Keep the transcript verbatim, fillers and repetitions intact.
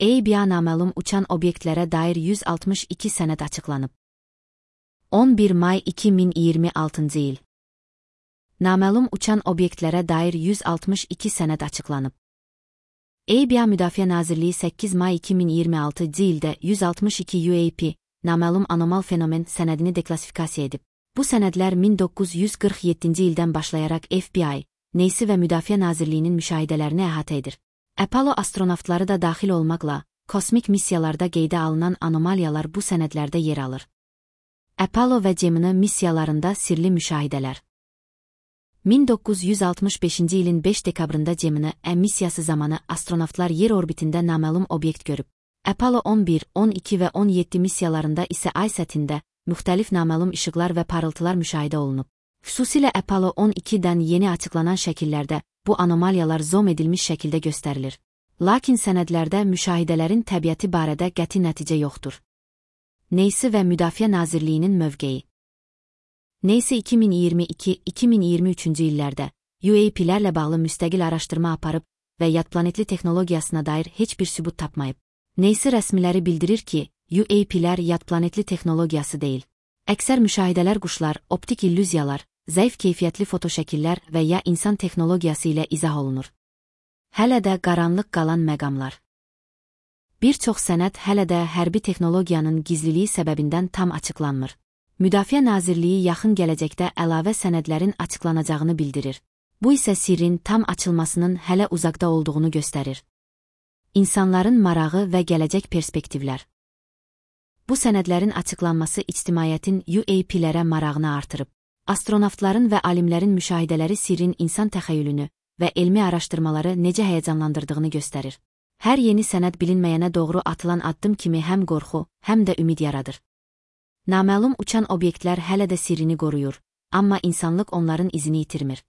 A B A naməlum uçan obyektlərə dair yüz altmış iki sənəd açıqlanıb. on bir may iki min iyirmi altıncı il. Naməlum uçan obyektlərə dair yüz altmış iki sənəd açıqlanıb. A B A Müdafiə Nazirliyi səkkiz may iki min iyirmi altıncı ildə yüz altmış iki U A P, naməlum anomal fenomen sənədini deklasifikasiya edib. Bu sənədlər min doqquz yüz qırx yeddinci ildən başlayaraq F B I, Neysi və Müdafiə Nazirliyinin müşahidələrini əhatə edir. Apollo astronavtları da daxil olmaqla, kosmik missiyalarda qeydə alınan anomaliyalar bu sənədlərdə yer alır. Apollo və Gemini missiyalarında sirli müşahidələr. min doqquz yüz altmış beşinci ilin beş dekabrında Gemini M missiyası zamanı astronavtlar yer orbitində naməlum obyekt görüb. Apollo on bir, on iki və on yeddi missiyalarında isə ay səthində müxtəlif naməlum işıqlar və parıltılar müşahidə olunub. Xüsusilə Apollo on ikidən yeni açıqlanan şəkillərdə bu anomaliyalar zoom edilmiş şəkildə göstərilir. Lakin sənədlərdə müşahidələrin təbiəti barədə qəti nəticə yoxdur. Neysi və Müdafiə Nazirliyinin mövqeyi. Neysi iki min iyirmi iki iki min iyirmi üçüncü illərdə U A P'lərlə bağlı müstəqil araşdırma aparıb və yad planetli texnologiyasına dair heç bir sübut tapmayıb. Neysi rəsmiləri bildirir ki, U A P'lər yad planetli texnologiyası deyil. Əksər müşahidələr quşlar, optik illüziyalar, zəif keyfiyyətli fotoşəkillər və ya insan texnologiyası ilə izah olunur. Hələ də qaranlıq qalan məqamlar. Bir çox sənəd hələ də hərbi texnologiyanın gizliliyi səbəbindən tam açıqlanmır. Müdafiə Nazirliyi yaxın gələcəkdə əlavə sənədlərin açıqlanacağını bildirir. Bu isə sirrin tam açılmasının hələ uzaqda olduğunu göstərir. İnsanların marağı və gələcək perspektivlər. Bu sənədlərin açıqlanması ictimaiyyətin U A P'lərə marağını artırıb. Astronavtların və alimlərin müşahidələri sirrin insan təxəyyülünü və elmi araşdırmaları necə həyəcanlandırdığını göstərir. Hər yeni sənəd bilinməyənə doğru atılan addım kimi həm qorxu, həm də ümid yaradır. Naməlum uçan obyektlər hələ də sirrini qoruyur, amma insanlıq onların izini itirmir.